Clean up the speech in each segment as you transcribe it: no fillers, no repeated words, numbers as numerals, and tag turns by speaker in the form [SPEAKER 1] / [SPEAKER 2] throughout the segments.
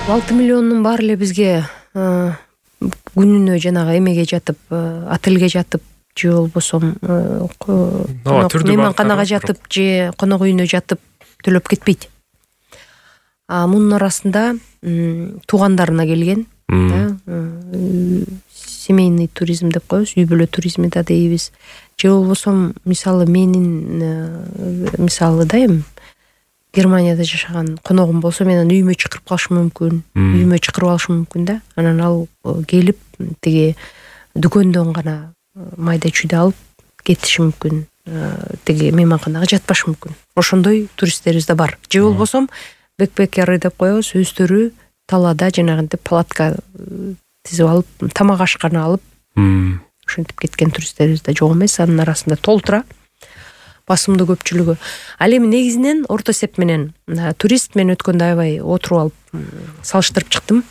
[SPEAKER 1] 6 миллиондун баары эле бизге күнүнө жанагы эмеге жатып, отелге жатып же болбосо мейманканага жатып же конок үйүнө жатып төлөп кетпейт. Мунун арасында туугандарына келген, семейный туризм деп коебуз, үй бүлө туризми да дейбиз. Же болбосо мисалы менин мисалы да эми Германияда жашаган коногум болсо менен үйүмө чакырып калышым мүмкүн, үйүмө чакырып алышым мүмкүн да. Анан ал келип тиги дүкөндөн гана майда чүйдө алып кетиши мүмкүн, тиги мейманканага жатпашы мүмкүн. Ошондой туристтерибиз да бар. Же болбосо бэкпекеры деп коебуз, өздөрү талаада жанагынтип палатка тизип алып, тамак ашканы алып ошентип кеткен туристтерибиз да жок эмес. Анын арасында толтура басымдуу көпчүлүгү. Ал эми негизинен орто эсеп менен турист мен өткөндө аябай отуруп алып салыштырып чыктым.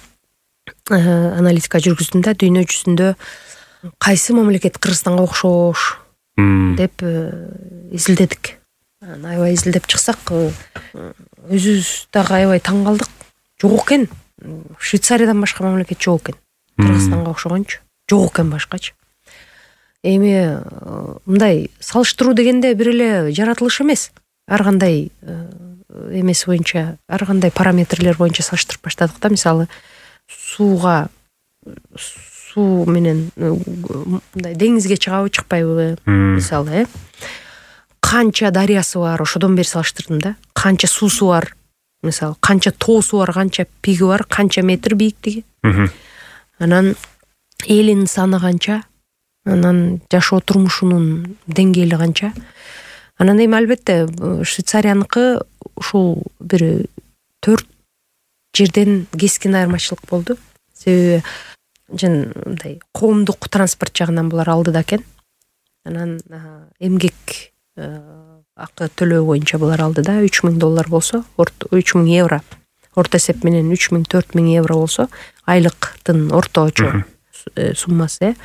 [SPEAKER 1] Аналитика жүргүздүм да, дүйнө жүзүндө кайсы мамлекет Кыргызстанга окшош деп изилдедик. Аябай изилдеп чыксак, өзүбүз дагы аябай таң калдык. Жок экен. Швейцариядан башка мамлекет жок экен. Кыргызстанга окшогончу. Жок экен башкачы. Эми мындай салыштыруу дегенде бир эле жаратылыш эмес. Ар кандай эмеси боюнча, ар кандай параметрлер боюнча салыштырып баштадык да. Мисалы, суу менен мындай деңизге чыгабы, чыкпайбы, мисалы, канча дарыясы бар, ошодон бери салыштырдым да. Канча суусу бар, мисалы, канча тоосу бар, канча пиги бар, канча метр бийиктиги. Анан элинин саны канча, анан жашоо турмушунун деңгээли канча. Анан эми албетте Швейцарияныкы ушул бир 4 жерден кескин айырмачылык болду. Себеби мындай коомдук транспорт жагынан булар алдыда экен. Анан эмгек акы төлөө боюнча булар алдыда. $3000 болсо, €3000 орто эсеп менен 3000-4000 евро болсо, айлыктын орточо суммасы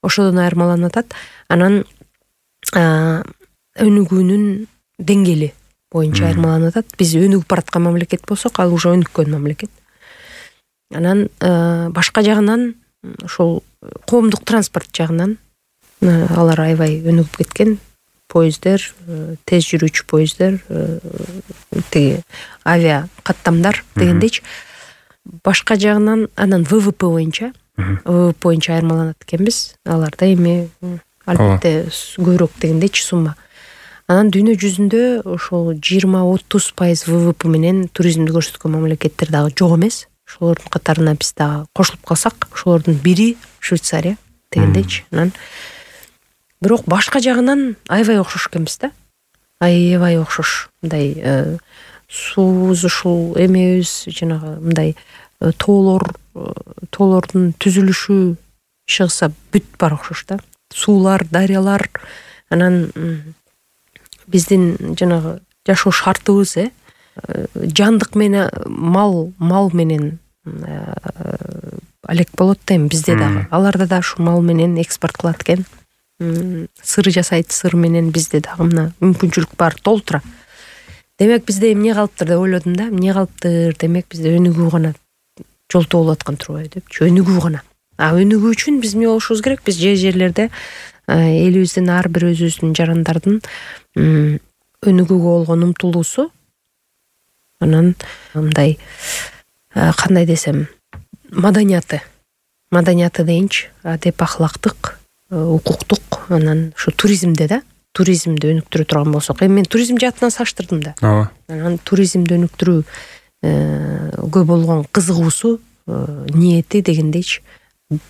[SPEAKER 1] ошодон айырмаланып атат. Анан өнүгүүнүн деңгээли боюнча айырмаланып атат. Биз өнүгүп бараткан мамлекет болсок, ал уже өнүккөн мамлекет. Анан башка жагынан ошол коомдук транспорт жагынан алар аябай өнүгүп кеткен. Поездер, тез жүрүүчү поездер, тиги авиа каттамдар дегендейчи. Башка жагынан анан ВВП боюнча айырмаланат экенбиз. Аларда эми албетте көбүрөөк дегендейчи сумма. Анан дүйнө жүзүндө ошол 20-30% ВВП менен туризмди көрсөткөн мамлекеттер дагы жок эмес. Ошолордун катарына биз дагы кошулуп калсак, ошолордун бири Швейцария дегендейчи. Анан бирок башка жагынан аябай окшош экенбиз да. Аябай окшош. Мындай суубуз ушул эмебиз, жанагы мындай тоолордун түзүлүшү чыгса бүт бар окшош да. Суулар, дарыялар, анан биздин жанагы жашоо шартыбыз, жандык менен мал менен алек болот да эми бизде дагы. Аларда да ушу мал менен экспорт кылат экен. Сыр жасайт, сыр менен бизде дагы мына мүмкүнчүлүк бар, толтура. Демек бизде эмне калыптыр деп ойлодум да. Эмне калыптыр? Демек бизде өнүгүү гана жолтоо болуп аткан турбайбы депчи. Өнүгүү гана. Өнүгүү үчүн биз эмне болушубуз керек? Биз жерлерде элибиздин ар бир өзүбүздүн жарандардын өнүгүүгө болгон умтулуусу, анан мындай кандай десем, маданияты дейинчи, адеп ахлактык, укуктук, анан ушу туризмди өнүктүрө турган болсок. Эми мен туризм жаатынан салыштырдым да. Анан туризмди өнүктүрүүгө болгон кызыгуусу, ниети дегендейчи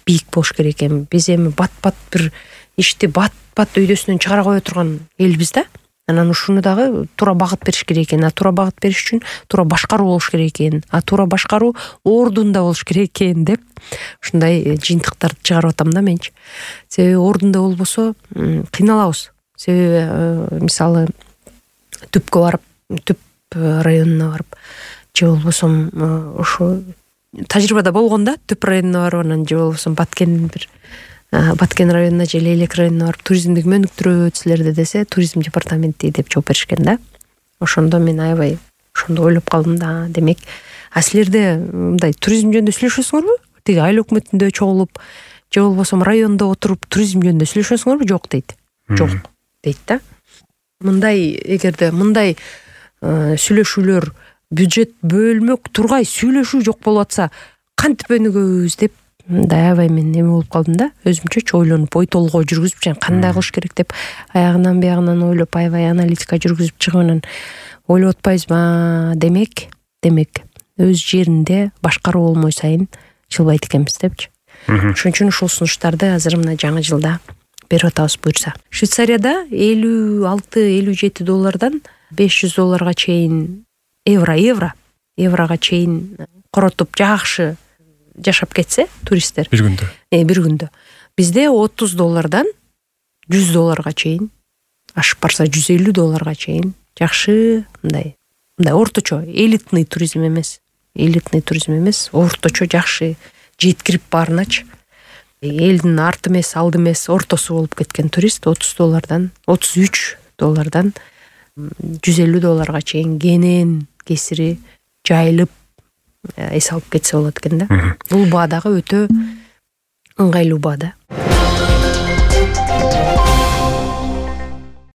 [SPEAKER 1] бийик болуш керек экен. Биз эми бат-бат бир ишти бат-бат өйдөсүнөн чыгара кое турган элбиз да. Анан ушуну дагы туура багыт бериш керек экен. Туура багыт бериш үчүн туура башкаруу болуш керек экен. Туура башкаруу ордунда болуш керек экен деп ушундай жыйынтыктарды чыгарып атам да менчи. Себеби ордунда болбосо кыйналабыз. Себеби мисалы түпкө барып, түп районуна барып, же болбосо ошо тажрыйбада болгон да, түп районуна барып, анан же болбосо Баткен районуна же Лейлек районуна барып туризмди өнүктүрөбүз силерде десе, туризм департаменти деп жооп беришкен да. Ошондо мен аябай ошондо ойлоп калдым да, демек А силерде мындай туризм жөнүндө сүйлөшөсүңөрбү? Тиги айыл өкмөтүндө чогулуп же болбосо райондо отуруп туризм жөнүндө сүйлөшөсүңөрбү? Жок дейт. Жок дейт да. Мындай эгерде мындай сүйлөшүүлөр бюджет бөлмөк тургай сүйлөшүү жок болуп атса кантип өнүгөбүз деп мындай аябай мен эме болуп калдым да. Өзүмчөчү ойлонуп, ой толгоо жүргүзүп, жана кандай кылыш керек деп аягынан биягынан ойлоп, аябай аналитика жүргүзүп чыгып анан ойлоп атпайбызбы? Демек өз жеринде башкаруу болмой сайын жылбайт экенбиз депчи. Ошон үчүн ушул сунуштарды азыр мына жаңы жылда берип атабыз буюрса. Швейцарияда $56-57 $500 чейин еврога чейин коротуп жакшы жашап кетсе туристтер
[SPEAKER 2] бир күндө.
[SPEAKER 1] Бир күндө. Бизде $30 $100 чейин, ашып барса $150 чейин жакшы мындай орточо элитный туризм эмес, орточо жакшы жеткирип баарыначы элдин арты эмес, алды эмес, ортосу болуп кеткен турист $30 $33 $150 чейин кенен кесири жайылып эс алып кетсе болот экен да. Бул баа дагы өтө ыңгайлуу баа да.